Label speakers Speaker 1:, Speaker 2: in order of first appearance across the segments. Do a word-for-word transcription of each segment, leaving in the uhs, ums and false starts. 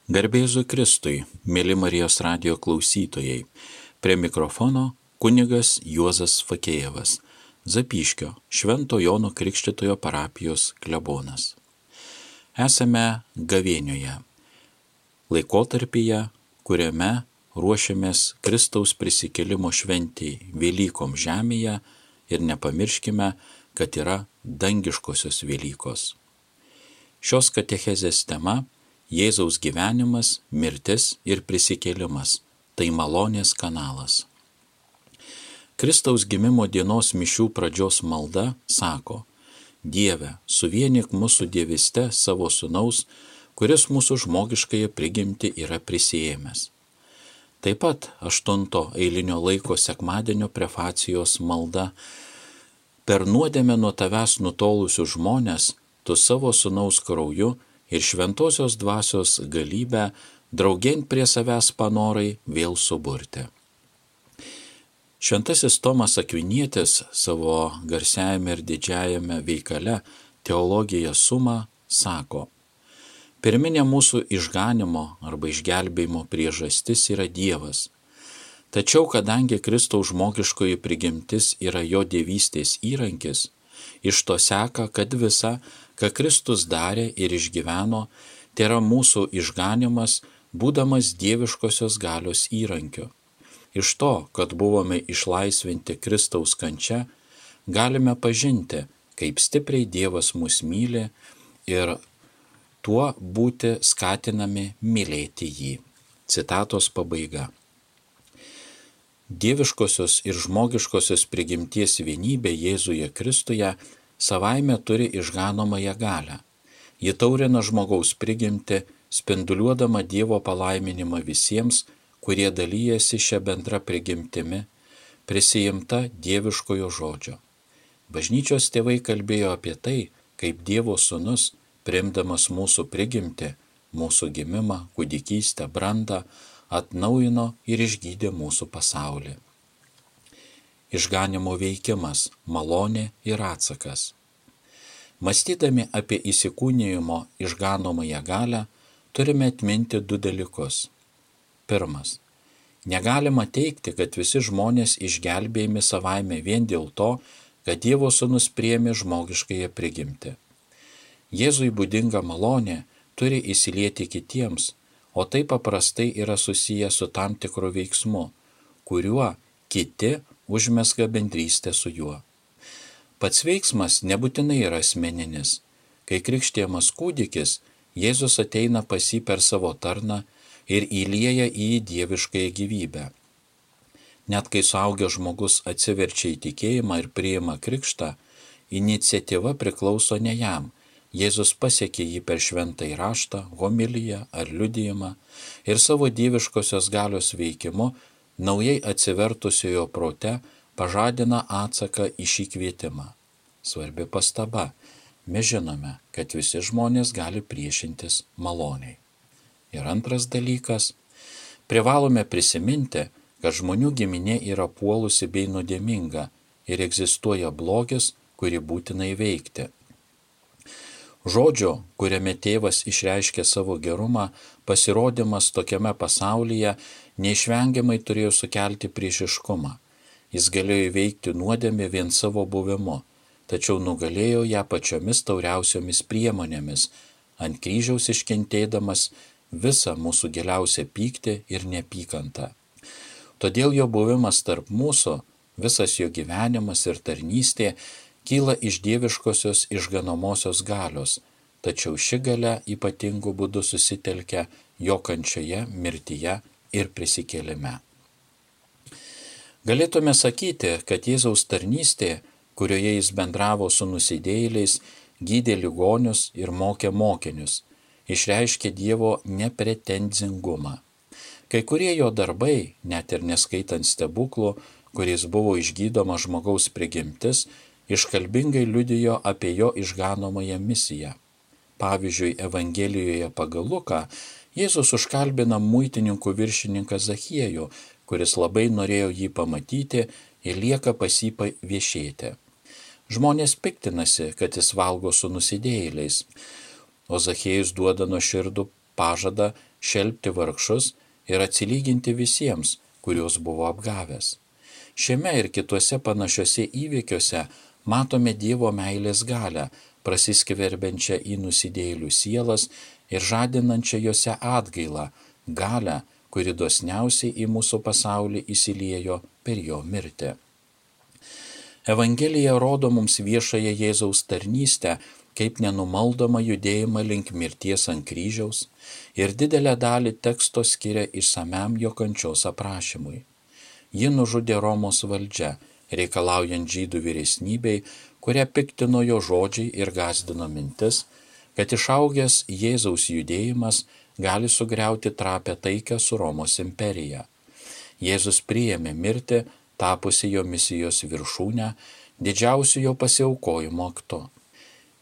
Speaker 1: Garbė Jėzui Kristui, mėly Marijos radijo klausytojai. Prie mikrofono kunigas Juozas Fakėjevas, Zapyškio Švento Jono Krikštytojo parapijos klebonas. Esame gavėnioje, laikotarpyje, kuriame ruošiamės Kristaus prisikėlimo šventei Velykom žemėje ir nepamirškime, kad yra dangiškosios Velykos. Šios katechezės tema – Jėzaus gyvenimas, mirtis ir prisikėlimas – tai malonės kanalas. Kristaus gimimo dienos mišių pradžios malda sako: Dieve, suvienyk mūsų dievyste savo sūnaus, kuris mūsų žmogiškąją prigimtį yra prisiėmęs. Taip pat aštunto eilinio laiko sekmadienio prefacijos malda: Per nuodėmę nuo tavęs nutolusius žmones, tu savo sūnaus krauju ir šventosios dvasios galybę draugėn prie savęs panorai vėl suburti. Šventasis Tomas Akvinietis savo garsiajame ir didžiajame veikale Teologija summa sako: Pirminė mūsų išganimo arba išgelbėjimo priežastis yra Dievas. Tačiau kadangi Kristaus žmogiškoji prigimtis yra jo dievystės įrankis, iš to seka, kad visa, ką Kristus darė ir išgyveno, tėra mūsų išganimas, būdamas dieviškosios galios įrankiu. Iš to, kad buvome išlaisvinti Kristaus kančia, galime pažinti, kaip stipriai Dievas mus myli ir tuo būti skatinami mylėti jį. Citatos pabaiga. Dieviškosios ir žmogiškosios prigimties vienybė Jėzuje Kristuje savaime turi išganomąją galią. Ji taurina žmogaus prigimtį, spinduliuodama Dievo palaiminimą visiems, kurie dalyjasi šią bendrą prigimtimi, prisijimta dieviškojo žodžio. Bažnyčios tėvai kalbėjo apie tai, kaip Dievo sūnus, priimdamas mūsų prigimtį, mūsų gimimą, kūdikystę, brandą, atnaujino ir išgydė mūsų pasaulį. Išganimo veikimas, malonė ir atsakas. Mąstydami apie įsikūnijimo išganomąją galią, turime atminti du dalykus. Pirmas. Negalima teigti, kad visi žmonės išgelbėjami savaime vien dėl to, kad Dievo sūnus priėmė žmogiškąją prigimtį. Jėzui būdinga malonė turi įsilieti kitiems, o tai paprastai yra susiję su tam tikru veiksmu, kuriuo kiti užmezga bendrystę su juo. Pats veiksmas nebūtinai yra asmeninis. Kai krikštijamas kūdikis, Jėzus ateina pas jį per savo tarną ir įlieja į jį dieviškąją gyvybę. Net kai suaugęs žmogus atsiverčia į tikėjimą ir priima krikštą, iniciatyva priklauso ne jam. Jėzus pasiekė jį per šventąjį raštą, homiliją ar liudijimą ir savo dieviškosios galios veikimu naujai atsivertusiojo prote pažadina atsaką į šį kvietimą. Svarbi pastaba. Mes žinome, kad visi žmonės gali priešintis maloniai. Ir antras dalykas. Privalome prisiminti, kad žmonių giminė yra puolusi bei nuodėminga ir egzistuoja blogis, kurį būtina įveikti. Žodžio, kuriame tėvas išreiškė savo gerumą, pasirodymas tokiame pasaulyje neišvengiamai turėjo sukelti priešiškumą. Jis galėjo įveikti nuodėmę vien savo buvimu, tačiau nugalėjo ją pačiomis tauriausiomis priemonėmis, ant kryžiaus iškentėdamas visą mūsų giliausią pyktį ir neapykantą. Todėl jo buvimas tarp mūsų, visas jo gyvenimas ir tarnystė kyla iš dieviškosios išganomosios galios, tačiau ši galia ypatingu būdu susitelkia jo kančioje, mirtyje ir prisikėlime. Galėtume sakyti, kad Jėzaus tarnystė, kurioje jis bendravo su nusidėjėliais, gydė ligonius ir mokė mokinius, išreiškė Dievo nepretenzingumą. Kai kurie jo darbai, net ir neskaitant stebuklų, kuriais buvo išgydoma žmogaus prigimtis, iškalbingai liudijo apie jo išganomąją misiją. Pavyzdžiui, Evangelijoje pagal Luką Jėzus užkalbina muitininkų viršininką Zachiejų, kuris labai norėjo jį pamatyti ir lieka pas jį viešėti. Žmonės piktinasi, kad jis valgo su nusidėjėliais, o Zachiejus duoda nuoširdų pažadą šelpti vargšus ir atsilyginti visiems, kuriuos buvo apgavęs. Šiame ir kituose panašiuose įvykiuose matome Dievo meilės galią, prasiskverbiančią į nusidėjėlių sielas ir žadinančią juose atgailą, galią, kuri dosniausiai į mūsų pasaulį įsiliejo per jo mirtį. Evangelija rodo mums viešąją Jėzaus tarnystę kaip nenumaldomą judėjimą link mirties ant kryžiaus ir didelę dalį teksto skiria išsamiam jo kančios aprašymui. Ji nužudė Romos valdžia, reikalaujant žydų vyresnybei, kurią piktino jo žodžiai ir gąsdino mintis, kad išaugęs Jėzaus judėjimas gali sugriauti trapę taiką su Romos imperija. Jėzus priėmė mirtį, tapusi jo misijos viršūnę, didžiausiu jo pasiaukojimo aktu.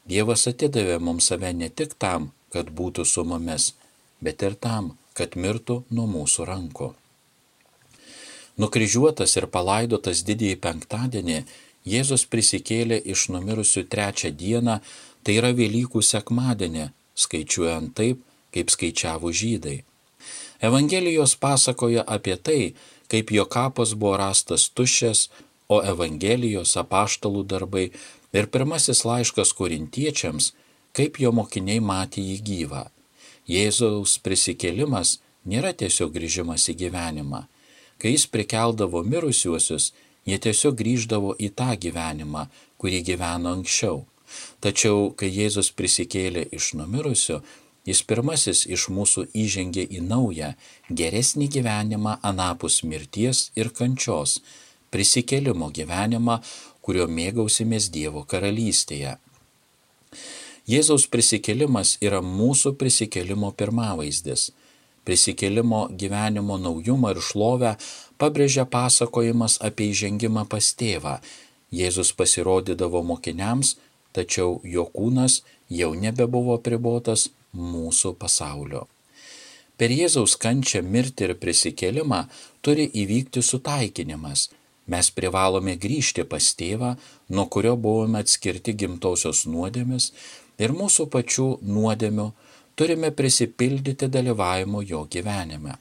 Speaker 1: Dievas atidavė mums save ne tik tam, kad būtų su mumis, bet ir tam, kad mirtų nuo mūsų rankų. Nukryžiuotas ir palaidotas didįjį penktadienį, Jėzus prisikėlė iš numirusių trečią dieną, tai yra Velykų sekmadienį, skaičiuojant taip, kaip skaičiavo žydai. Evangelijos pasakoja apie tai, kaip jo kapas buvo rastas tuščias, o Evangelijos, apaštalų darbai ir pirmasis laiškas korintiečiams, kaip jo mokiniai matė jį gyvą. Jėzaus prisikėlimas nėra tiesiog grįžimas į gyvenimą. Kai jis prikeldavo mirusiuosius, jie tiesiog grįždavo į tą gyvenimą, kurį gyveno anksčiau. Tačiau, kai Jėzus prisikėlė iš numirusių, jis pirmasis iš mūsų įžengė į naują, geresnį gyvenimą anapus mirties ir kančios, prisikėlimo gyvenimą, kurio mėgausimės Dievo karalystėje. Jėzaus prisikėlimas yra mūsų prisikėlimo pirmavaizdis. Prisikėlimo gyvenimo naujumą ir šlovę pabrėžia pasakojimas apie įžengimą pas tėvą. Jėzus pasirodydavo mokiniams, tačiau jo kūnas jau nebebuvo apribotas mūsų pasaulio. Per Jėzaus kančią, mirtį ir prisikėlimą turi įvykti sutaikinimas. Mes privalome grįžti pas tėvą, nuo kurio buvome atskirti gimtosios nuodėmis, ir mūsų pačių nuodėmių turime prisipildyti dalyvavimo jo gyvenime.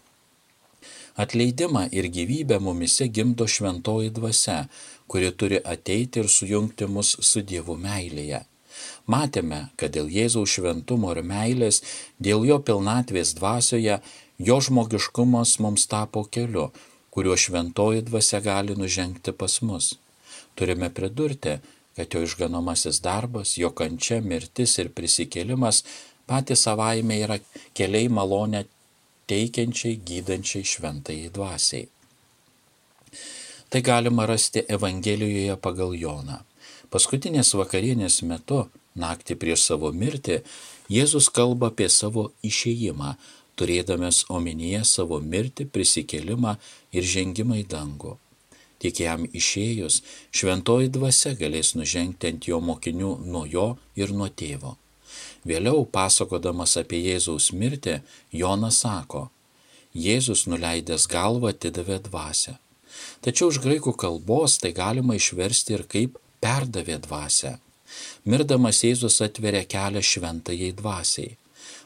Speaker 1: Atleidimą ir gyvybę mumise gimdo šventoji dvasia, kuri turi ateiti ir sujungti mus su Dievu meilėje. Matėme, kad dėl Jėzaus šventumo ir meilės, dėl jo pilnatvės dvasioje, jo žmogiškumas mums tapo keliu, kuriuo šventoji dvasia gali nužengti pas mus. Turime pridurti, kad jo išganomasis darbas, jo kančia, mirtis ir prisikėlimas patys savaime yra keliai malonę teikiančiai, gydančiai šventajai dvasiai. Tai galima rasti Evangelijoje pagal Joną. Paskutinės vakarienės metu, naktį prieš savo mirtį, Jėzus kalba apie savo išėjimą, turėdamas omenyje savo mirtį, prisikėlimą ir žengimą į dangų. Tik jam išėjus, šventoji dvasia galės nužengti ant jo mokinių nuo jo ir nuo tėvo. Vėliau, pasakodamas apie Jėzaus mirtį, Jonas sako, Jėzus nuleidęs galvą atidavė dvasią. Tačiau iš graikų kalbos tai galima išversti ir kaip perdavė dvasią. Mirdamas Jėzus atveria kelią šventajai dvasiai.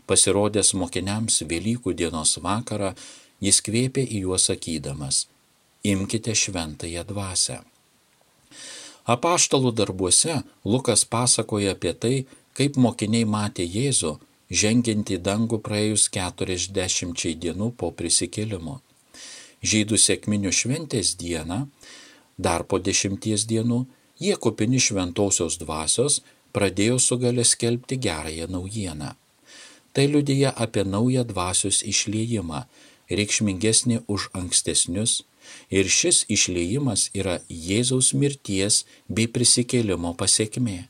Speaker 1: Pasirodęs mokiniams Velykų dienos vakarą, jis kvėpė į juos sakydamas, imkite šventąją dvasią. Apaštalų darbuose Lukas pasakoja apie tai, kaip mokiniai matė Jėzų, žengiant į dangų praėjus keturiasdešimčiai dienų po prisikėlimo. Žydų sekminių šventės dieną, dar po dešimties dienų, jie kupini šventosios dvasios pradėjo su galia skelbti gerąją naujieną. Tai liudija apie naują dvasios išliejimą, reikšmingesnį už ankstesnius, ir šis išliejimas yra Jėzaus mirties bei prisikėlimo pasekmė.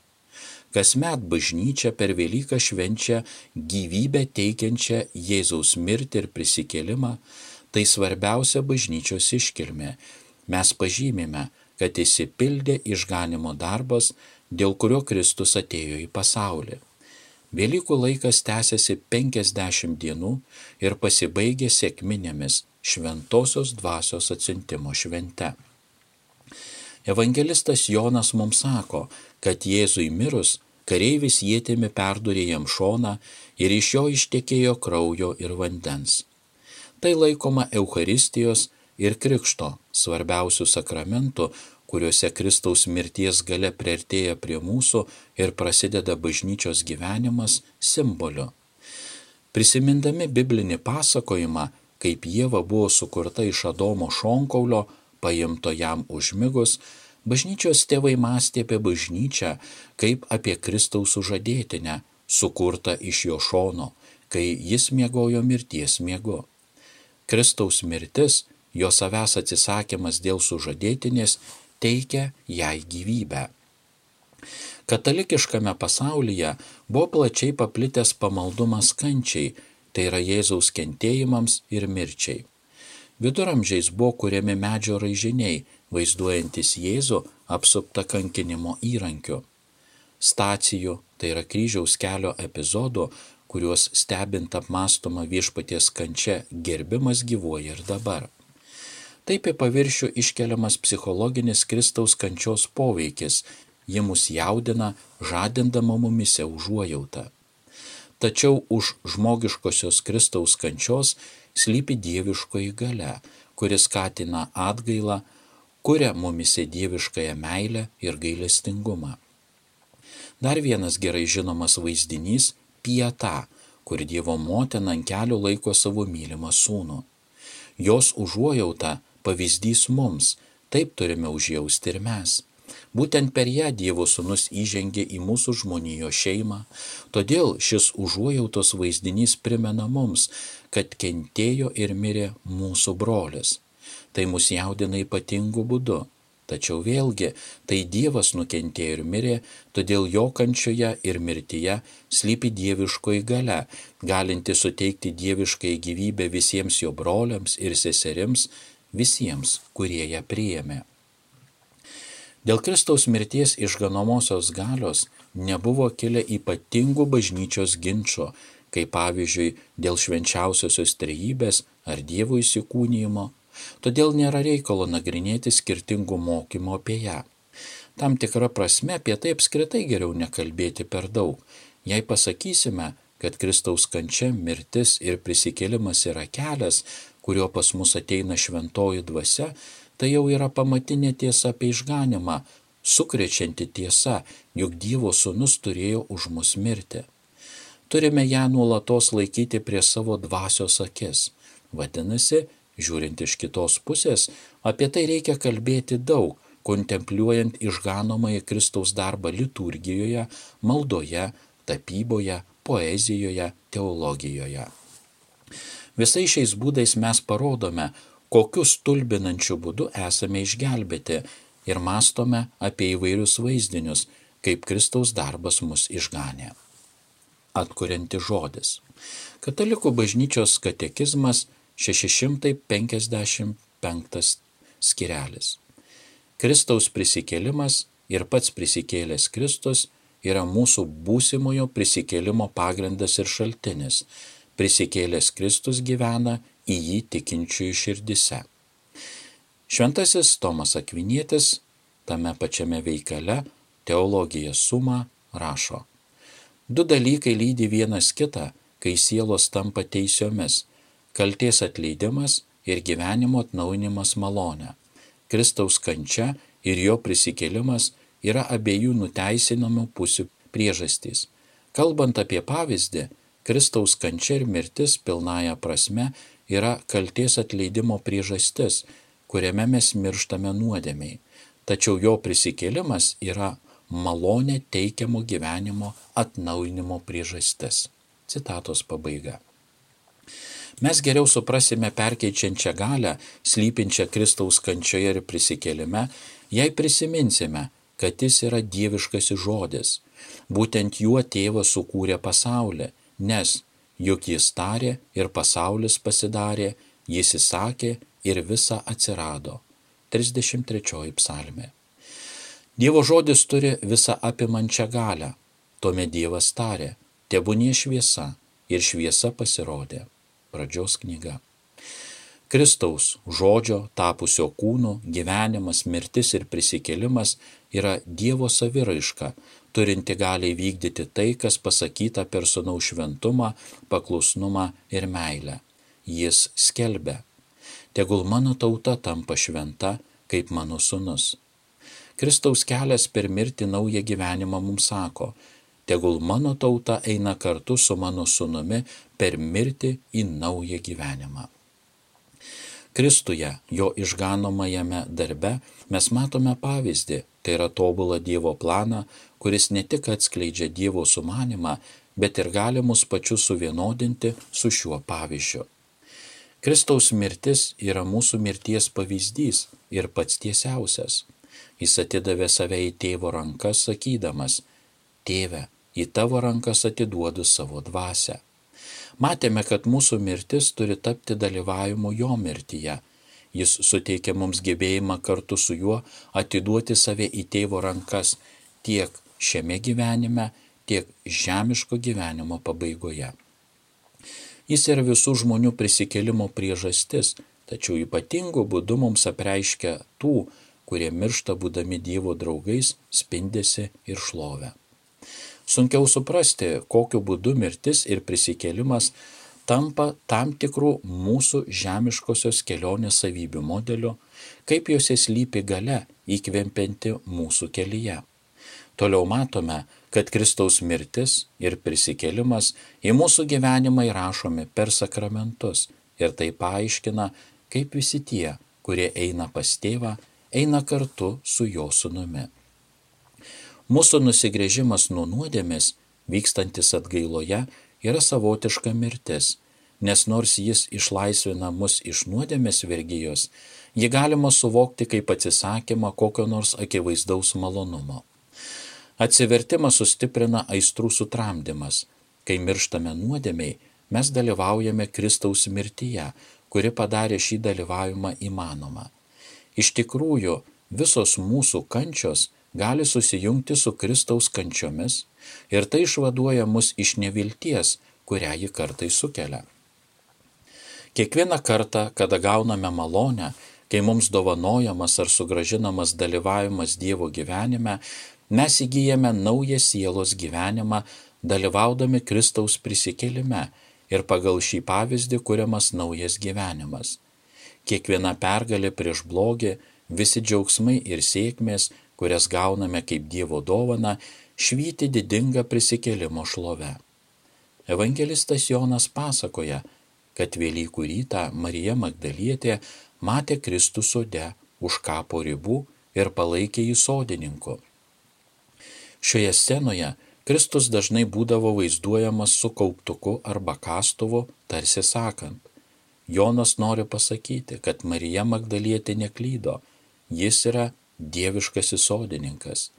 Speaker 1: Kasmet bažnyčia per Velyką švenčia gyvybę teikiančią Jėzaus mirtį ir prisikėlimą, tai svarbiausia bažnyčios iškilmė. Mes pažymime, kad išsipildė išganimo darbas, dėl kurio Kristus atėjo į pasaulį. Velykų laikas tęsiasi penkiasdešimt dienų ir pasibaigė sekminėmis šventosios dvasios atsiuntimo švente. Evangelistas Jonas mums sako, kad Jėzui mirus Kareivis ietimi perdūrė jam šoną ir iš jo ištekėjo kraujo ir vandens. Tai laikoma Eucharistijos ir Krikšto svarbiausių sakramentų, kuriuose Kristaus mirties galia priartėja prie mūsų ir prasideda bažnyčios gyvenimas simboliu. Prisimindami biblinį pasakojimą, kaip Ieva buvo sukurta iš Adomo šonkaulio, paimto jam užmigus, bažnyčios tėvai mąstė apie bažnyčią kaip apie Kristaus sužadėtinę, sukurtą iš jo šono, kai jis miegojo mirties miegu. Kristaus mirtis, jo savęs atsisakymas dėl sužadėtinės, teikia jai gyvybę. Katalikiškame pasaulyje buvo plačiai paplitęs pamaldumas kančiai, tai yra Jėzaus kentėjimams ir mirčiai. Viduramžiais buvo kuriami medžio raižiniai, vaizduojantis Jėzų apsuptą kankinimo įrankiu. Stacijų, tai yra kryžiaus kelio epizodų, kuriuos stebint apmąstoma viešpaties kančia, gerbimas gyvuoja ir dabar. Taip į paviršių iškeliamas psichologinis Kristaus kančios poveikis, ji mus jaudina, žadindama mumise užuojautą. Tačiau už žmogiškosios Kristaus kančios slypi dieviškoji galia, kuris skatina atgailą, kuria mumise dieviškąją meilę ir gailestingumą. Dar vienas gerai žinomas vaizdinys – Pieta, kur Dievo motina ant kelių laiko savo mylimą sūnų. Jos užuojauta pavyzdys mums, taip turime užjausti ir mes. Būtent per ją Dievo sūnus įžengė į mūsų žmonijos šeimą, todėl šis užuojautos vaizdinys primena mums, kad kentėjo ir mirė mūsų brolis. Tai mus jaudina ypatingu būdu. Tačiau vėlgi, tai Dievas nukentėjo ir mirė, todėl jo kančioje ir mirtyje slypi dieviškoji galia, galinti suteikti dieviškai gyvybę visiems jo broliams ir seserims, visiems, kurie ją priėmė. Dėl Kristaus mirties išganomosios galios nebuvo kilę ypatingų bažnyčios ginčų, kaip pavyzdžiui dėl švenčiausiosios trejybės ar Dievo įsikūnijimo, todėl nėra reikalo nagrinėti skirtingų mokymų apie ją. Tam tikra prasme apie tai apskritai geriau nekalbėti per daug. Jei pasakysime, kad Kristaus kančia, mirtis ir prisikėlimas yra kelias, kuriuo pas mus ateina šventoji dvasia, tai jau yra pamatinė tiesa apie išganimą, sukrečianti tiesa, juk Dievo sūnus turėjo už mus mirti. Turime ją nuolatos laikyti prie savo dvasios akis. Vadinasi, žiūrint iš kitos pusės, apie tai reikia kalbėti daug, kontempliuojant išganomąjį Kristaus darbą liturgijoje, maldoje, tapyboje, poezijoje, teologijoje. Visais šiais būdais mes parodome, kokiu stulbinančiu būdu esame išgelbėti ir mąstome apie įvairius vaizdinius, kaip Kristaus darbas mus išganė. Atkurianti žodis. Katalikų bažnyčios katekizmas šeši šimtai penkiasdešimt penktas skirelis. Kristaus prisikėlimas ir pats prisikėlęs Kristus yra mūsų būsimojo prisikėlimo pagrindas ir šaltinis. Prisikėlęs Kristus gyvena į jį tikinčiųjų širdise. Šventasis Tomas Akvinietis tame pačiame veikale Teologija summa rašo: Du dalykai lydi vienas kitą, kai sielos tampa teisiomis – kaltės atleidimas ir gyvenimo atnaujinimas malone. Kristaus kančia ir jo prisikėlimas yra abiejų nuteisinamų pusių priežastys. Kalbant apie pavyzdį, Kristaus kančia ir mirtis pilnąja prasme yra kaltės atleidimo priežastis, kuriame mes mirštame nuodėmiai. Tačiau jo prisikėlimas yra malonė teikiamo gyvenimo atnaujinimo priežastis. Citatos pabaiga. Mes geriau suprasime perkeičiančią galią, slypinčią Kristaus kančioje ir prisikėlime, jei prisiminsime, kad jis yra dieviškasis žodis. Būtent juo tėvas sukūrė pasaulį, nes juk jis tarė ir pasaulis pasidarė, jis įsakė ir visa atsirado. trisdešimt trečioji psalmė. Dievo žodis turi visą apimančią galią. Tuomet Dievas tarė, tebūnie šviesa, ir šviesa pasirodė. Pradžios knyga. Kristaus žodžio, tapusio kūnu, gyvenimas, mirtis ir prisikėlimas yra Dievo saviraiška, turinti gali įvykdyti tai, kas pasakyta per sūnaus šventumą, paklusnumą ir meilę. Jis skelbia: tegul mano tauta tampa šventa, kaip mano sūnus. Kristaus kelias per mirtį naują gyvenimą mums sako: tegul mano tauta eina kartu su mano sūnumi per mirtį į naują gyvenimą. Kristuje, jo išganomajame darbe, mes matome pavyzdį, tai yra tobulą Dievo planą, kuris ne tik atskleidžia Dievo sumanimą, bet ir gali mus pačius suvienodinti su šiuo pavyzdžiu. Kristaus mirtis yra mūsų mirties pavyzdys ir pats tiesiausias. Jis atidavė save į tėvo rankas, sakydamas: tėve, į tavo rankas atiduodu savo dvasią. Matėme, kad mūsų mirtis turi tapti dalyvavimu jo mirtyje. Jis suteikia mums gebėjimą kartu su juo atiduoti save į tėvo rankas tiek šiame gyvenime, tiek žemiško gyvenimo pabaigoje. Jis yra visų žmonių prisikėlimo priežastis, tačiau ypatingu būdu mums apreiškia tų, kurie miršta būdami Dievo draugais, spindesį ir šlovę. Sunkiau suprasti, kokiu būdu mirtis ir prisikėlimas tampa tam tikrų mūsų žemiškosios kelionės savybių modeliu, kaip jose slypi galia įkvempianti mūsų kelyje. Toliau matome, kad Kristaus mirtis ir prisikėlimas į mūsų gyvenimą įrašomi per sakramentus ir tai paaiškina, kaip visi tie, kurie eina pas tėvą, eina kartu su jo sūnumi. Mūsų nusigręžimas nuo nuodėmės, vykstantis atgailoje, yra savotiška mirtis, nes nors jis išlaisvina mus iš nuodėmės vergijos, jį galima suvokti kaip atsisakymą kokio nors akivaizdaus malonumo. Atsivertimą sustiprina aistrų sutramdymas. Kai mirštame nuodėmei, mes dalyvaujame Kristaus mirtyje, kuri padarė šį dalyvavimą įmanomą. Iš tikrųjų, visos mūsų kančios gali susijungti su Kristaus kančiomis ir tai išvaduoja mus iš nevilties, kurią ji kartais sukelia. Kiekvieną kartą, kada gauname malonę, kai mums dovanojamas ar sugrąžinamas dalyvavimas Dievo gyvenime, mes įgyjame naują sielos gyvenimą, dalyvaudami Kristaus prisikėlime ir pagal šį pavyzdį kuriamas naujas gyvenimas. Kiekviena pergalė prieš blogį, visi džiaugsmai ir sėkmės, kurias gauname kaip Dievo dovana, švyti didingą prisikėlimo šlovę. Evangelistas Jonas pasakoja, kad Velykų rytą Marija Magdalietė matė Kristų sode už kapo ribų ir palaikė jį sodininku. Šioje scenoje Kristus dažnai būdavo vaizduojamas su kauptuku arba kastuvu, tarsi sakant: Jonas nori pasakyti, kad Marija Magdalietė neklydo, jis yra dieviškasis sodininkas.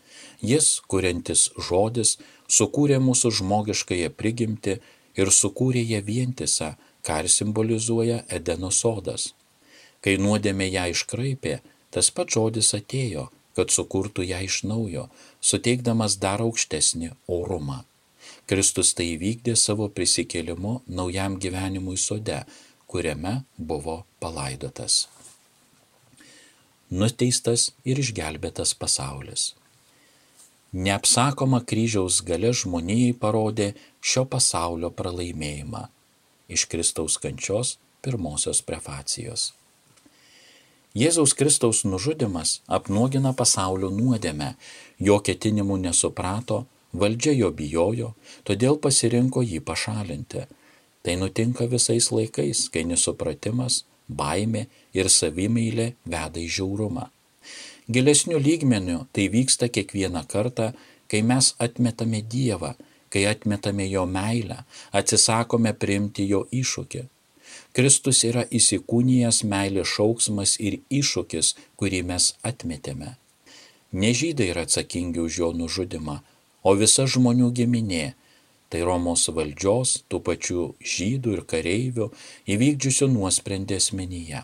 Speaker 1: Jis, kuriantis žodis, sukūrė mūsų žmogiškąją prigimtį ir sukūrė ją vientisą, ką ir simbolizuoja Edeno sodas. Kai nuodėmė ją iškraipė, tas pats žodis atėjo, kad sukurtų ją iš naujo, suteikdamas dar aukštesnį orumą. Kristus tai įvykdė savo prisikėlimu naujam gyvenimui sode, kuriame buvo palaidotas. Nuteistas ir išgelbėtas pasaulis. Neapsakoma kryžiaus galia žmonijai parodė šio pasaulio pralaimėjimą. Iš Kristaus kančios pirmosios prefacijos. Jėzaus Kristaus nužudymas apnuogina pasaulio nuodėmę, jo ketinimų nesuprato, valdžia jo bijojo, todėl pasirinko jį pašalinti. Tai nutinka visais laikais, kai nesupratimas, baimė ir savimeilė veda į žiaurumą. Gilesnių lygmenių tai vyksta kiekvieną kartą, kai mes atmetame Dievą, kai atmetame jo meilę, atsisakome priimti jo iššūkį. Kristus yra įsikūnijęs meilės šauksmas ir iššūkis, kurį mes atmetėme. Ne žydai yra atsakingi už jo nužudymą, o visa žmonių giminė, tai Romos valdžios, tų pačių žydų ir kareivių, įvykdžiusių nuosprendį asmenyje.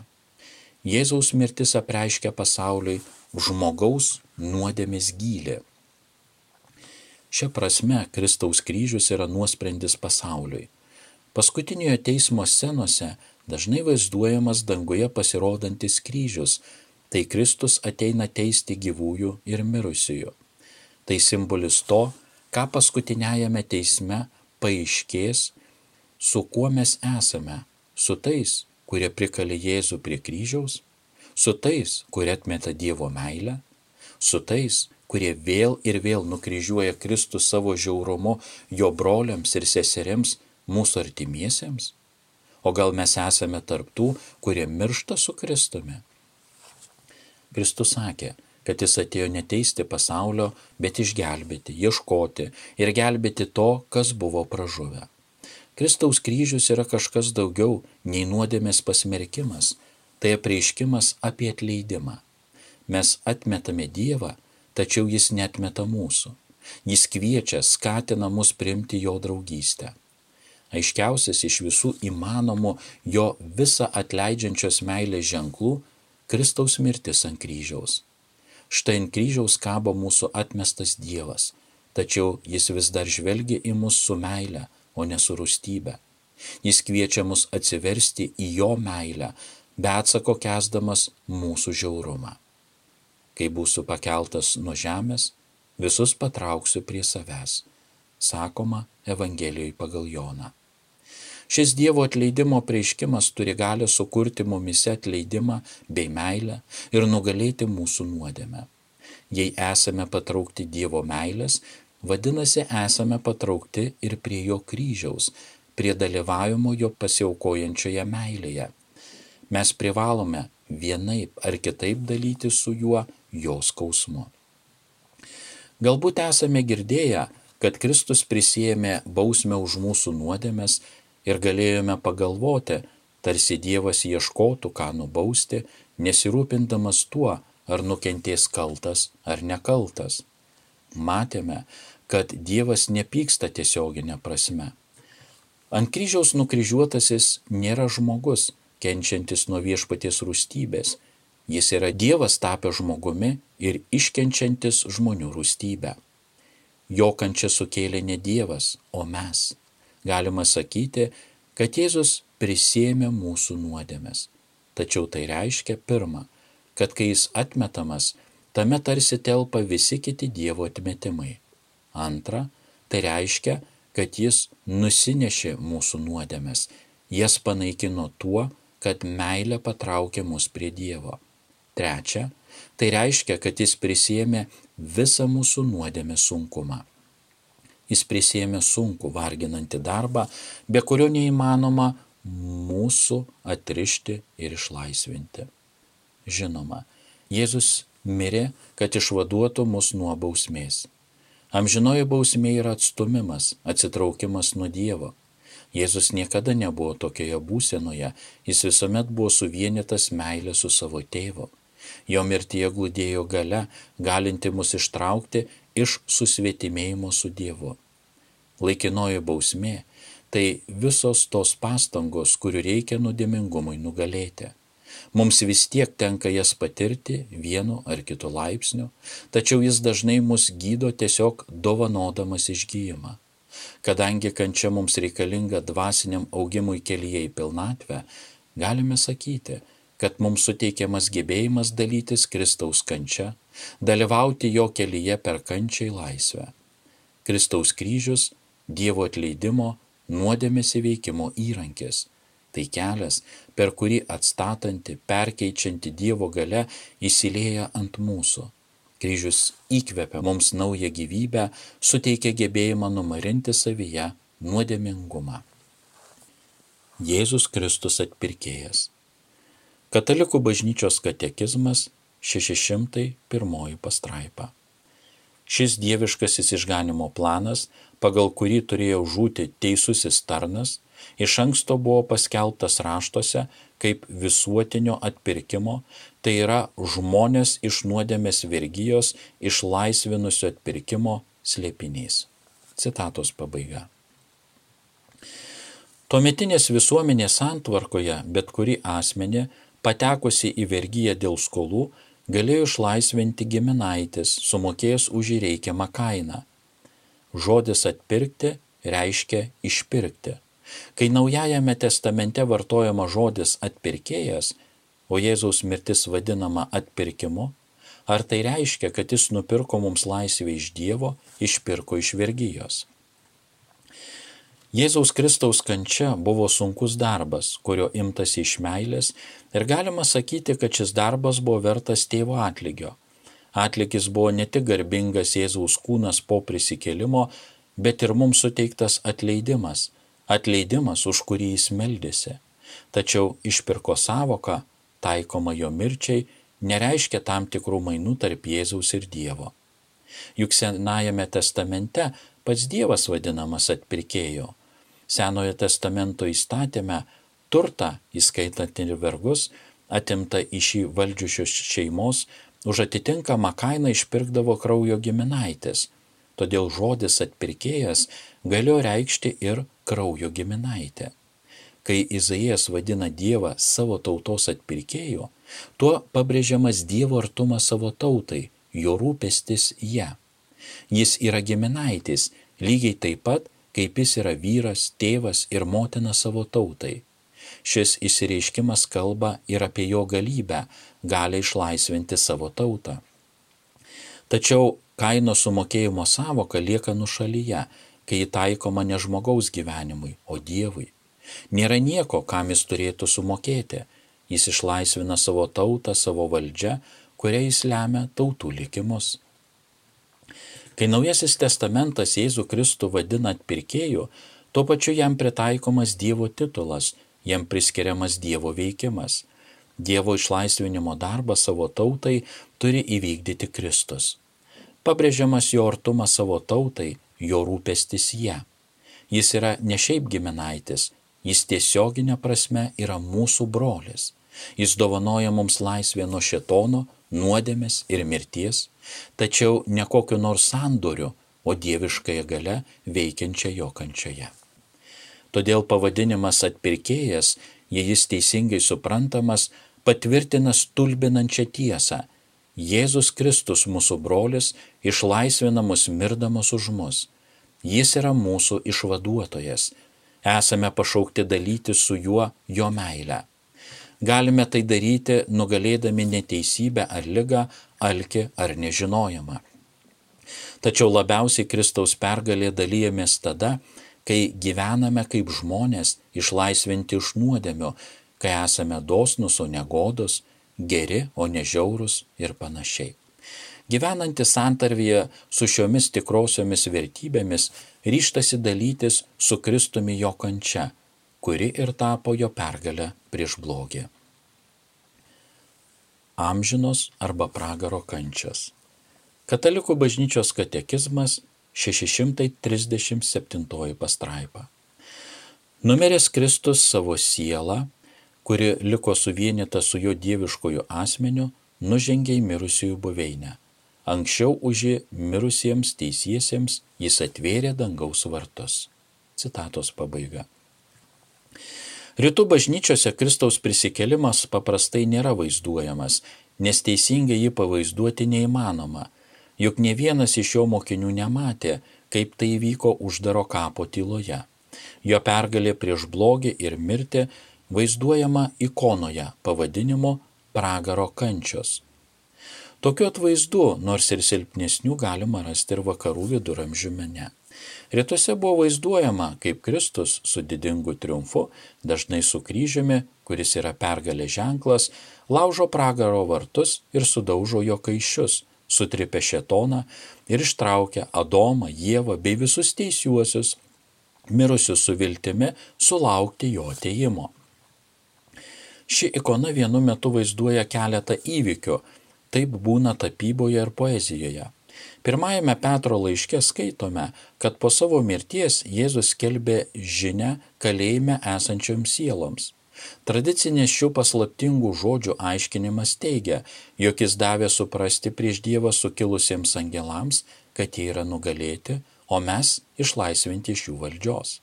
Speaker 1: Jėzaus mirtis apreiškia pasauliui žmogaus nuodėmės gylį. Šia prasme, Kristaus kryžius yra nuosprendis pasauliui. Paskutiniojo teismo scenose dažnai vaizduojamas danguje pasirodantis kryžius, tai Kristus ateina teisti gyvųjų ir mirusiųjų. Tai simbolis to, ką paskutiniajame teisme paaiškės, su kuo mes esame, su tais, kurie prikalė Jėzų prie kryžiaus, su tais, kurie atmeta Dievo meilę, su tais, kurie vėl ir vėl nukryžiuoja Kristų savo žiaurumu jo broliams ir seserims, mūsų artimiesiems? O gal mes esame tarptų, kurie miršta su Kristumi? Kristus sakė, kad jis atėjo neteisti pasaulio, bet išgelbėti, ieškoti ir gelbėti to, kas buvo pražuvę. Kristaus kryžius yra kažkas daugiau nei nuodėmės pasmerkimas, tai apreiškimas apie atleidimą. Mes atmetame Dievą, tačiau jis neatmeta mūsų. Jis kviečia, skatina mus priimti jo draugystę. Aiškiausias iš visų įmanomų jo visą atleidžiančios meilės ženklų – Kristaus mirtis ant kryžiaus. Štai ant kryžiaus kabo mūsų atmestas Dievas, tačiau jis vis dar žvelgia į mus su meile, o ne su rūstybe. Jis kviečia mus atsiversti į jo meilę, be atsako kęsdamas mūsų žiaurumą. Kai būsiu pakeltas nuo žemės, visus patrauksiu prie savęs, sakoma Evangelijoje pagal Joną. Šis Dievo atleidimo apreiškimas turi galią sukurti mumise atleidimą bei meilę ir nugalėti mūsų nuodėmę. Jei esame patraukti Dievo meilės, vadinasi esame patraukti ir prie jo kryžiaus, prie dalyvavimo jo pasiaukojančioje meilėje. Mes privalome vienaip ar kitaip dalyti su juo jo skausmu. Galbūt esame girdėję, kad Kristus prisiėmė bausmę už mūsų nuodėmes ir galėjome pagalvoti, tarsi Dievas ieškotų, ką nubausti, nesirūpindamas tuo, ar nukentės kaltas ar nekaltas. Matėme, kad Dievas nepyksta tiesioginė prasme. Ant kryžiaus nukryžiuotasis nėra žmogus, kenčiantis nuo viešpaties rūstybės. Jis yra Dievas tapęs žmogumi ir iškenčiantis žmonių rūstybę. Jo kančią sukėlė ne Dievas, o mes. Galima sakyti, kad Jėzus prisiėmė mūsų nuodėmes. Tačiau tai reiškia pirma, kad kai jis atmetamas, tame tarsi telpa visi kiti Dievo atmetimai. Antra, tai reiškia, kad jis nusinešė mūsų nuodėmes, jas panaikino tuo, kad meilė patraukė mus prie Dievo. Trečia, tai reiškia, kad jis prisiėmė visą mūsų nuodėmės sunkumą. Jis prisiėmė sunkų, varginantį darbą, be kurio neįmanoma mūsų atrišti ir išlaisvinti. Žinoma, Jėzus mirė, kad išvaduotų mus nuo bausmės. Amžinoji bausmė yra atstumimas, atsitraukimas nuo Dievo. Jėzus niekada nebuvo tokioje būsenoje, jis visuomet buvo suvienytas meilė su savo tėvu. Jo mirtyje glūdėjo galia, galinti mus ištraukti iš susvetimėjimo su Dievu. Laikinoji bausmė – tai visos tos pastangos, kurių reikia nuodėmingumui nugalėti. Mums vis tiek tenka jas patirti vienu ar kitu laipsniu, tačiau jis dažnai mus gydo tiesiog dovanodamas išgijimą. Kadangi kančia mums reikalinga dvasiniam augimui kelyje į pilnatvę, galime sakyti, kad mums suteikiamas gebėjimas dalytis Kristaus kančia, dalyvauti jo kelyje per kančią į laisvę. Kristaus kryžius – Dievo atleidimo, nuodėmės įveikimo įrankis. Tai kelias, per kurį atstatanti, perkeičianti Dievo galia įsilieja ant mūsų. Kryžius įkvepia mums naują gyvybę, suteikia gebėjimą numarinti savyje nuodėmingumą. Jėzus Kristus atpirkėjas. Katalikų bažnyčios katekizmas šeši šimtai pirmoji pastraipa. Šis dieviškasis išganimo planas, pagal kurį turėjo žūti teisusis tarnas, iš anksto buvo paskelbtas raštuose kaip visuotinio atpirkimo, tai yra žmonės iš nuodėmės vergijos išlaisvinusio atpirkimo slėpinys. Citatos pabaiga. Tuometinės visuomenės santvarkoje bet kuri asmenį, patekusi į vergiją dėl skolų, galėjo išlaisvinti giminaitis, sumokėjęs už jį reikiamą kainą. Žodis atpirkti reiškia išpirkti. Kai Naujajame testamente vartojama žodis atpirkėjas, o Jėzaus mirtis vadinama atpirkimu, Ar tai reiškia, kad jis nupirko mums laisvę iš Dievo, išpirko iš vergijos? Jėzaus Kristaus kančia buvo sunkus darbas, kurio imtasi iš meilės, ir galima sakyti, kad šis darbas buvo vertas tėvo atlygio. Atlygis buvo ne tik garbingas Jėzaus kūnas po prisikėlimo, bet ir mums suteiktas atleidimas, atleidimas, už kurį jis meldėsi. Tačiau išpirko sąvoka, taikoma jo mirčiai, nereiškia tam tikrų mainų tarp Jėzaus ir Dievo. Juk Senajame testamente pats Dievas vadinamas atpirkėju. Senojo testamento įstatyme turtą, įskaitant ir vergus, atimta iš jį valdžiusios šeimos, už atitinkamą kainą išpirkdavo kraujo giminaitis. Todėl žodis atpirkėjas galėjo reikšti ir kraujo giminaitę. Kai Izaijas vadina Dievą savo tautos atpirkėju, tuo pabrėžiamas Dievo artumas savo tautai, jo rūpestis ją. Jis yra giminaitis, lygiai taip pat, kaip jis yra vyras, tėvas ir motina savo tautai. Šis išsireiškimas kalba ir apie jo galybę, gali išlaisvinti savo tautą. Tačiau kainos sumokėjimo sąvoka lieka nušalyje, kai ji taikoma ne žmogaus gyvenimui, o Dievui. Nėra nieko, kam jis turėtų sumokėti. Jis išlaisvina savo tautą savo valdžią, kuria jis lemia tautų likimus. Kai Naujasis testamentas Jėzų Kristų vadina atpirkėju, tuo pačiu jam pritaikomas Dievo titulas, jam priskiriamas Dievo veikimas. Dievo išlaisvinimo darbą savo tautai turi įvykdyti Kristus. Pabrėžiamas jo artumas savo tautai, jo rūpestis ją. Jis yra ne šiaip giminaitis, jis tiesioginė prasme yra mūsų brolis. Jis dovanoja mums laisvę nuo šėtono, nuodėmės ir mirties, tačiau ne kokiu nors sandoriu, o dieviškąją gale veikiančią jo kančioje. Todėl pavadinimas atpirkėjas, jei jis teisingai suprantamas, patvirtina stulbinančią tiesą. Jėzus Kristus, mūsų brolis, išlaisvina mus mirdamas už mus. Jis yra mūsų išvaduotojas. Esame pašaukti dalytis su juo jo meilę. Galime tai daryti, nugalėdami neteisybę ar ligą, alkį ar nežinojimą. Tačiau labiausiai Kristaus pergalė dalyjamės tada, kai gyvename kaip žmonės išlaisvinti iš nuodėmių, kai esame dosnus, o ne godus, geri, o ne žiaurūs ir panašiai. Gyvenantis santarvyje su šiomis tikrosiomis vertybėmis ryžtasi dalytis su Kristumi jo kančia, kuri ir tapo jo pergalę prieš blogį. Amžinos arba pragaro kančios. Katalikų bažnyčios katekizmas šeši šimtai trisdešimt septintoji pastraipa. Numiręs Kristus savo sielą, kuri liko suvienyta su jo dieviškoju asmeniu, nužengė į mirusiųjų buveinę. Anksčiau už jį mirusiems teisiesiems jis atvėrė dangaus vartus. Citatos pabaiga. Rytų bažnyčiose Kristaus prisikėlimas paprastai nėra vaizduojamas, nes teisingai jį pavaizduoti neįmanoma, juk ne vienas iš jo mokinių nematė, kaip tai įvyko uždaro kapo tyloje. Jo pergalė prieš blogį ir mirtį vaizduojama ikonoje pavadinimu pragaro kančios. Tokiu atvaizdu, nors ir silpnesnių, galima rasti ir vakarų viduramžių mene. Rytuose buvo vaizduojama, kaip Kristus su didingu triumfu, dažnai su kryžiumi, kuris yra pergalės ženklas, laužo pragaro vartus ir sudaužo jo kaiščius, sutripia šėtoną ir ištraukia Adomą, Ievą bei visus teisiuosius, mirusius su viltimi sulaukti jo atėjimo. Ši ikona vienu metu vaizduoja keletą įvykių, taip būna tapyboje ir poezijoje. Pirmajame Petro laiške skaitome, kad po savo mirties Jėzus skelbė žinią kalėjime esančioms sieloms. Tradicinės šių paslaptingų žodžių aiškinimas teigia, jog jis davė suprasti prieš Dievą sukilusiems angelams, kad jie yra nugalėti, o mes išlaisvinti iš jų valdžios.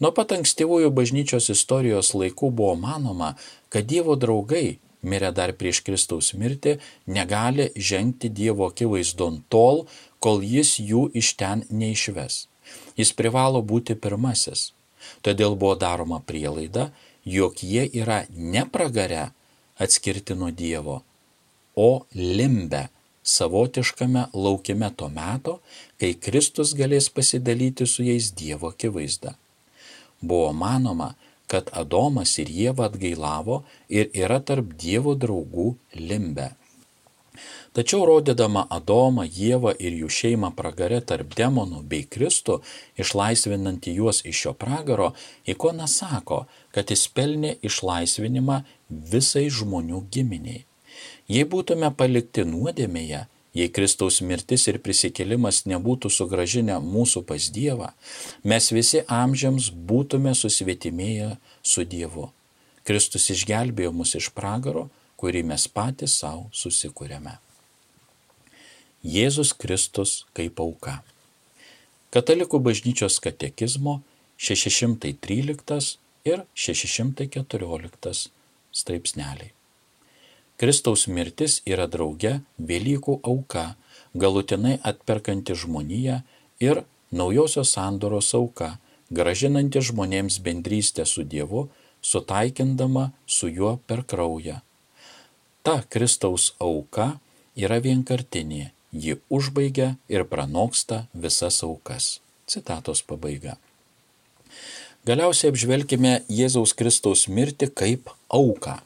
Speaker 1: Nuo pat ankstyvųjų bažnyčios istorijos laikų buvo manoma, kad Dievo draugai, mirę dar prieš Kristaus mirtį, negali žengti Dievo akivaizdon tol, kol jis jų iš ten neišves. Jis privalo būti pirmasis. Todėl buvo daroma prielaida, jog jie yra ne pragare atskirti nuo Dievo, o limbe savotiškame laukime to meto, kai Kristus galės pasidalyti su jais Dievo akivaizda. Buvo manoma, kad Adomas ir Ieva atgailavo ir yra tarp Dievo draugų limbe. Tačiau rodydama Adomą, Ievą ir jų šeimą pragare tarp demonų bei Kristų, išlaisvinantį juos iš šio pragaro, ikona sako, kad jis pelnė išlaisvinimą visai žmonių giminiai. Jei būtume palikti nuodėmėje, jei Kristaus mirtis ir prisikėlimas nebūtų sugrąžinę mūsų pas Dievą, mes visi amžiams būtume susvetimėję su Dievu. Kristus išgelbėjo mus iš pragaro, kurį mes patys savo susikūrėme. Jėzus Kristus kaip auka. Katalikų bažnyčios katekizmo šeši šimtai tryliktas ir šeši šimtai keturioliktas straipsneliai. Kristaus mirtis yra drauge Velykų auka, galutinai atperkanti žmoniją ir naujosios sandoros auka, grąžinanti žmonėms bendrystę su Dievu, sutaikindama su juo per kraują. Ta Kristaus auka yra vienkartinė, ji užbaigia ir pranoksta visas aukas. Citatos pabaiga. Galiausiai apžvelkime Jėzaus Kristaus mirtį kaip auką.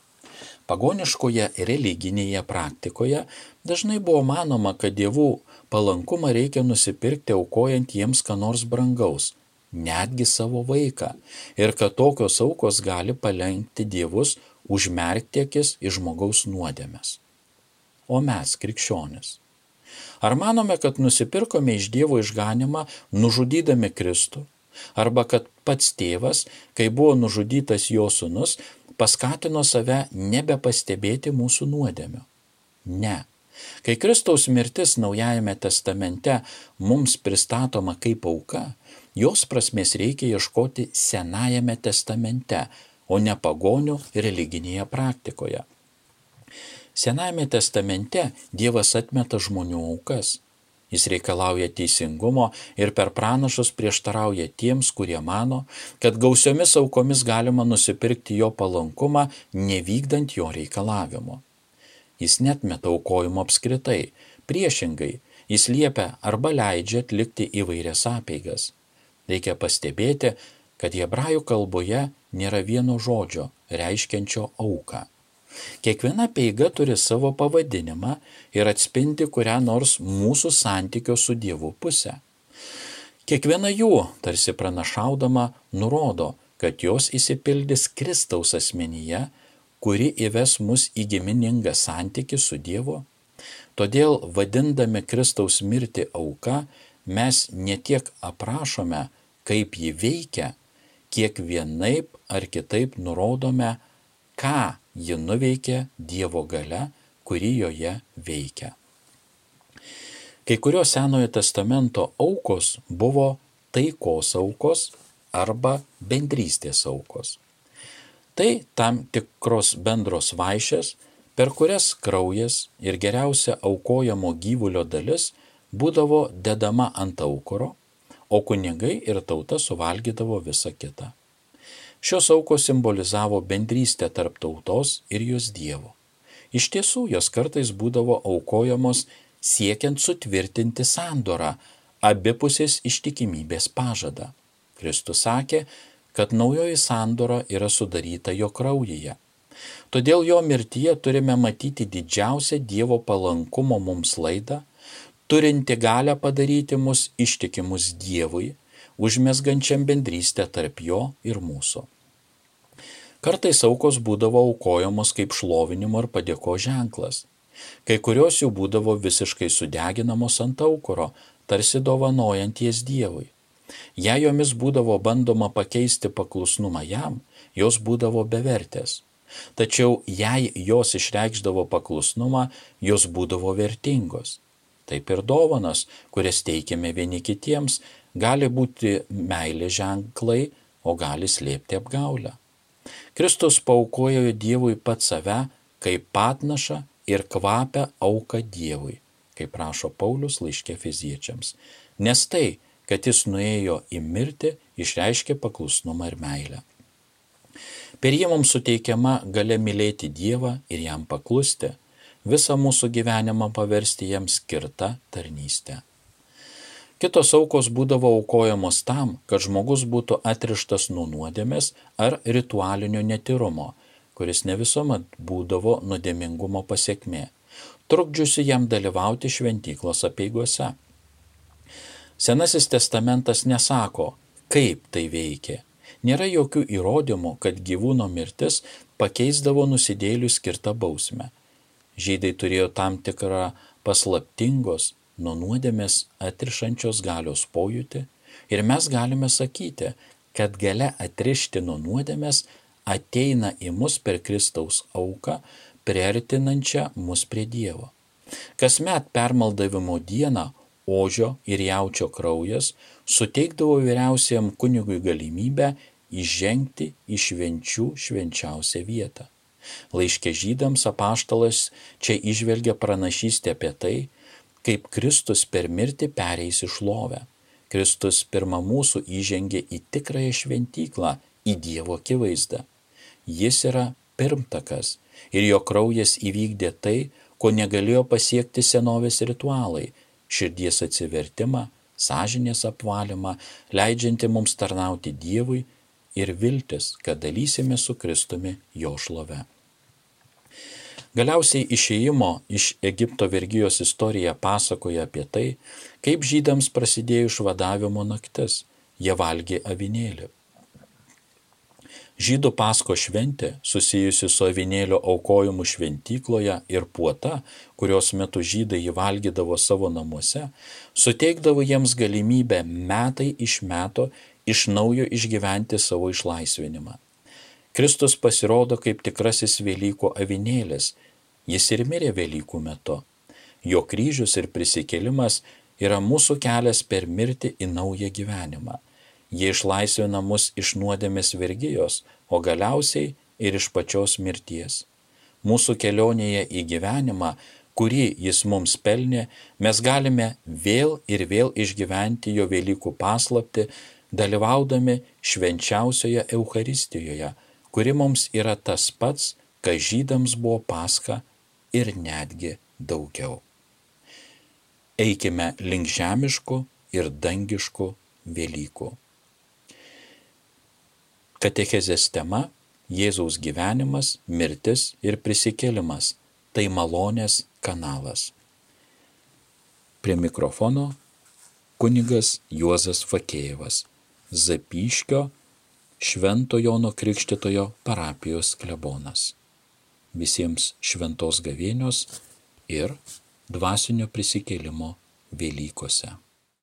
Speaker 1: Pagoniškoje religinėje praktikoje dažnai buvo manoma, kad dievų palankumą reikia nusipirkti aukojant jiems ką nors brangaus, netgi savo vaiką, ir kad tokios aukos gali palenkti dievus užmerkti akis į žmogaus nuodėmes. O mes, krikščionis, ar manome, kad nusipirkome iš Dievo išganymą nužudydami Kristų, arba kad pats tėvas, kai buvo nužudytas jo sūnus, paskatino save nebepastebėti mūsų nuodėmių? Ne. Kai Kristaus mirtis Naujajame testamente mums pristatoma kaip auka, jos prasmės reikia ieškoti Senajame testamente, o ne pagonių religinėje praktikoje. Senajame testamente Dievas atmeta žmonių aukas. Jis reikalauja teisingumo ir per pranašus prieštarauja tiems, kurie mano, kad gausiomis aukomis galima nusipirkti jo palankumą, nevykdant jo reikalavimo. Jis netmeta aukojimo apskritai, priešingai, jis liepia arba leidžia atlikti įvairias apeigas. Reikia pastebėti, kad hebrajų kalboje nėra vieno žodžio reiškiančio auką. Kiekviena apeiga turi savo pavadinimą ir atspindi kurią nors mūsų santykio su Dievu pusę. Kiekviena jų, tarsi pranašaudama, nurodo, kad jos išsipildys Kristaus asmenyje, kuri įves mus į giminingą santykį su Dievu. Todėl, vadindami Kristaus mirtį auka, mes ne tiek aprašome, kaip ji veikia, kiek vienaip ar kitaip nurodome, ką ji nuveikė Dievo galia, kuri joje veikia. Kai kurios Senojo testamento aukos buvo taikos aukos arba bendrystės aukos. Tai tam tikros bendros vaišės, per kurias kraujas ir geriausia aukojamo gyvulio dalis būdavo dedama ant aukuro, o kunigai ir tauta suvalgydavo visą kitą. Šios aukos simbolizavo bendrystę tarp tautos ir jos Dievo. Iš tiesų, jos kartais būdavo aukojamos siekiant sutvirtinti sandorą, abipusės ištikimybės pažadą. Kristus sakė, kad naujoji sandora yra sudaryta jo kraujyje. Todėl jo mirtyje turime matyti didžiausią Dievo palankumo mums laidą, turinti galią padaryti mus ištikimus Dievui, užmesgančiam bendrystę tarp jo ir mūsų. Kartais aukos būdavo aukojamos kaip šlovinimo ir padėko ženklas. Kai kurios jų būdavo visiškai sudeginamos ant aukuro, tarsi dovanojant jas Dievui. Jei jomis būdavo bandoma pakeisti paklusnumą jam, jos būdavo bevertės. Tačiau jei jos išreikšdavo paklusnumą, jos būdavo vertingos. Taip ir dovanos, kurias teikiame vieni kitiems, gali būti meilės ženklai, o gali slėpti apgaulę. Kristus paaukojo Dievui pats save kaip patnašą ir kvapę auką Dievui, kaip rašo Paulius laiške Efeziečiams. Nes tai, kad jis nuėjo į mirtį, išreiškė paklusnumą ir meilę. Per jį mums suteikiama galia mylėti Dievą ir jam paklusti. visą mūsų gyvenimą paversti jiems skirtą tarnystę. Kitos aukos būdavo aukojamos tam, kad žmogus būtų atrištas nuo nuodėmės ar ritualinio netyrumo, kuris ne visuomet būdavo nuodėmingumo pasekmė, trukdžiusi jam dalyvauti šventyklos apeigose. Senasis testamentas nesako, kaip tai veikia. Nėra jokių įrodymų, kad gyvūno mirtis pakeisdavo nusidėjėlių skirtą bausmę. Žydai turėjo tam tikrą paslaptingos, nuo nuodėmės atrišančios galios pojūtį ir mes galime sakyti, kad galia atrišti nuo nuodėmės ateina į mus per Kristaus auką, priartinančią mus prie Dievo. Kasmet permaldavimo dieną ožio ir jaučio kraujas suteikdavo vyriausiajam kunigui galimybę įžengti į švenčių švenčiausią vietą. Laiške Žydams apaštalas čia įžvelgia pranašystę apie tai, kaip Kristus per mirtį pereis į šlovę. Kristus pirma mūsų įžengė į tikrąją šventyklą, į Dievo akivaizdą. Jis yra pirmtakas ir jo kraujas įvykdė tai, ko negalėjo pasiekti senovės ritualai – širdies atsivertimą, sąžinės apvalymą, leidžianti mums tarnauti Dievui ir viltis, kad dalysime su Kristumi jo šlove. Galiausiai išėjimo iš Egipto vergijos istorija pasakoja apie tai, kaip žydams prasidėjo išvadavimo naktis, jie valgė avinėlį. Žydų Pasko šventė, susijusi su avinėlio aukojimu šventykloje ir puota, kurios metu žydai jį valgydavo savo namuose, suteikdavo jiems galimybę metai iš meto iš naujo išgyventi savo išlaisvinimą. Kristus pasirodo kaip tikrasis Velykų avinėlis, jis ir mirė Velykų metu. Jo kryžius ir prisikėlimas yra mūsų kelias per mirtį į naują gyvenimą. Jie išlaisvina mus iš nuodėmės vergijos, o galiausiai ir iš pačios mirties. Mūsų kelionėje į gyvenimą, kurį jis mums pelnė, mes galime vėl ir vėl išgyventi jo Velykų paslaptį, dalyvaudami švenčiausioje Eucharistijoje, kuri mums yra tas pats, kas žydams buvo Paska ir netgi daugiau. Eikime link žemiškų ir dangiškų Velykų. Katechezės tema – Jėzaus gyvenimas, mirtis ir prisikėlimas – tai malonės kanalas. Prie mikrofono kunigas Juozas Fakėjevas, Zapyškio Švento Jono Krikštytojo parapijos klebonas. Visiems šventos gavėnios ir dvasinio prisikėlimo Velykose.